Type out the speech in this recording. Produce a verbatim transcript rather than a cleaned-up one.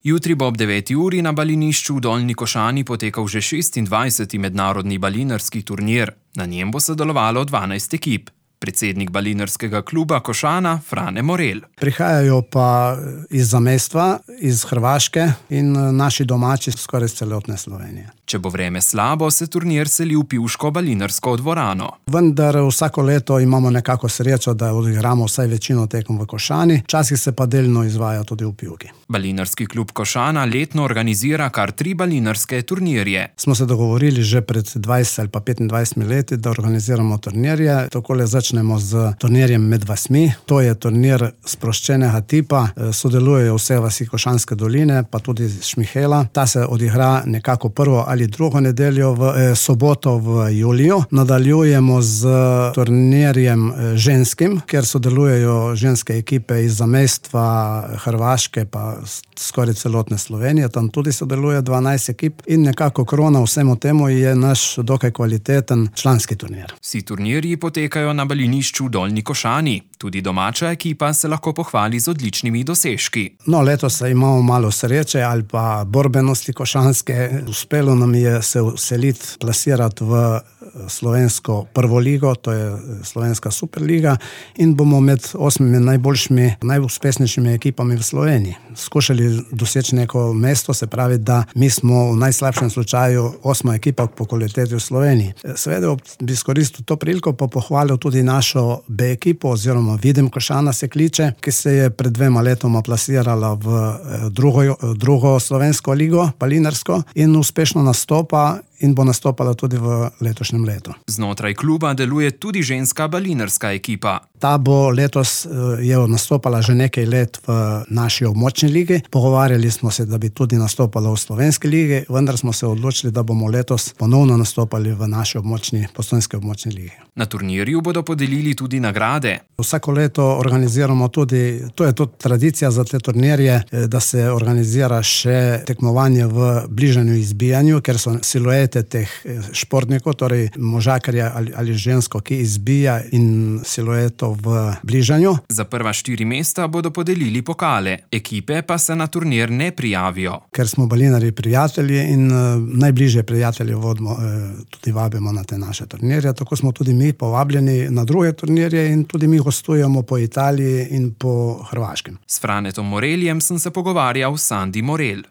Jutri bo ob deveti uri na balinišču v Dolnji Košani potekal že šestindvajseti mednarodni balinarski turnir. Na njem bo sodelovalo dvanajst ekip. Predsednik balinarskega kluba Košana Frane Morel. Prihajajo pa iz zamestva, iz Hrvaške in naši domači skoraj iz celotne Slovenije. Če bo vreme slabo, se turnir seli v pivško balinarsko dvorano. Vendar vsako leto imamo nekako srečo, da odigramo vsaj večino tekem v Košani, včasih se pa delno izvaja tudi v Pivki. Balinarski klub Košana letno organizira kar tri balinarske turnirje. Smo se dogovorili že pred dvajset ali pa petindvajsetimi leti, da organiziramo turnirje. Takole začnemo z turnirjem med vasmi. To je turnir sproščenega tipa. Sodelujejo vse vasi Košanske doline, pa tudi Šmihela. Ta se odigra nekako prvo ali drugo nedeljo v eh, soboto v juliju. Nadaljujemo z turnirjem eh, ženskim, kjer sodelujejo ženske ekipe iz zamestva Hrvaške pa skoraj celotne Slovenije. Tam tudi sodeluje dvanajst ekip in nekako krona vsemu temu je naš dokaj kvaliteten članski turnir. Vsi turnirji potekajo na balinišču v Dolnji Košani. Tudi domača ekipa se lahko pohvali z odličnimi dosežki. No, letos imamo malo sreče ali pa borbenosti košanske. Uspelo nam je se vseliti, plasirati v slovensko prvo ligo, to je slovenska superliga, in bomo med osmimi najboljšimi, najuspešnejšimi ekipami v Sloveniji. Skušali doseči neko mesto, se pravi, da mi smo v najslabšem slučaju osma ekipa po kvaliteti v Sloveniji. Seveda bi izkoristil to priliko pa pohvalil tudi našo B ekipo, oziroma Vidim Košana se kliče, ki se je pred dvema letoma plasirala v drugo, drugo slovensko ligo, balinarsko, in uspešno nastopa in bo nastopala tudi v letošnjem letu. Znotraj kluba deluje tudi ženska balinarska ekipa. Ta bo letos je nastopala že nekaj let v naši območni ligi. Pogovarjali smo se, da bi tudi nastopala v slovenski ligi, vendar smo se odločili, da bomo letos ponovno nastopali v naši območni, postojnski območni ligi. Na turnirju bodo podelili tudi nagrade. Vsako leto organiziramo tudi, to je tudi tradicija za te turnirje, da se organizira še tekmovanje v bližanju izbijanju, ker so siluete teh športnikov, torej možakarja ali, ali žensko, ki izbija, in silueto v bližanju. Za prva štiri mesta bodo podelili pokale. Ekipe pa se na turnir ne prijavijo. Ker smo balinari prijatelji in uh, najbližje prijatelje vodimo, uh, tudi vabimo na te naše turnirje. Tako smo tudi mi povabljeni na druge turnirje in tudi mi gostujemo po Italiji in po Hrvaškem. S Franetom Moreljem sem se pogovarjal s Sandi Morel.